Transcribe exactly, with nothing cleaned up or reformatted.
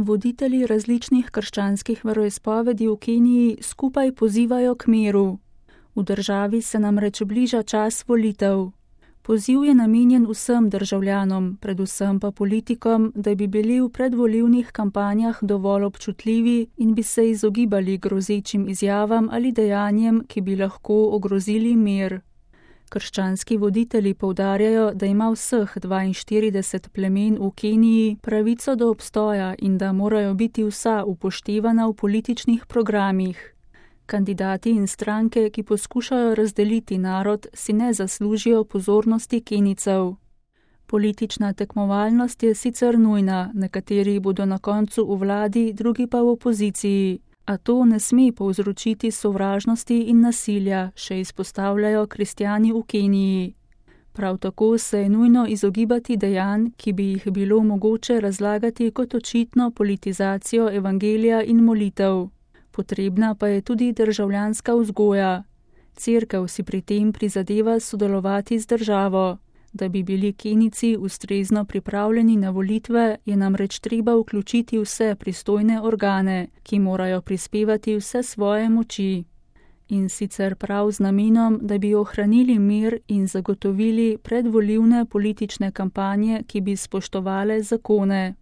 Voditelji različnih krščanskih veroizpovedi v Keniji skupaj pozivajo k miru. V državi se namreč bliža čas volitev. Poziv je namenjen vsem državljanom, predvsem pa politikom, da bi bili v predvolilnih kampanjah dovolj občutljivi in bi se izogibali grozečim izjavam ali dejanjem, ki bi lahko ogrozili mir. Krščanski voditelji poudarjajo, da ima vseh dvainštirideset plemen v Keniji pravico do obstoja in da morajo biti vsa upoštevana v političnih programih. Kandidati in stranke, ki poskušajo razdeliti narod, si ne zaslužijo pozornosti Kenijcev. Politična tekmovalnost je sicer nujna, nekateri bodo na koncu v vladi, drugi pa v opoziciji. A to ne sme povzročiti sovražnosti in nasilja, še izpostavljajo kristjani v Keniji. Prav tako se je nujno izogibati dejanj, ki bi jih bilo mogoče razlagati kot očitno politizacijo evangelija in molitev. Potrebna pa je tudi državljanska vzgoja. Cerkev si pri tem prizadeva sodelovati z državo. Da bi bili Kenijci ustrezno pripravljeni na volitve, je namreč treba vključiti vse pristojne organe, ki morajo prispevati vse svoje moči. In sicer prav z namenom, da bi ohranili mir in zagotovili predvolilne politične kampanje, ki bi spoštovale zakone.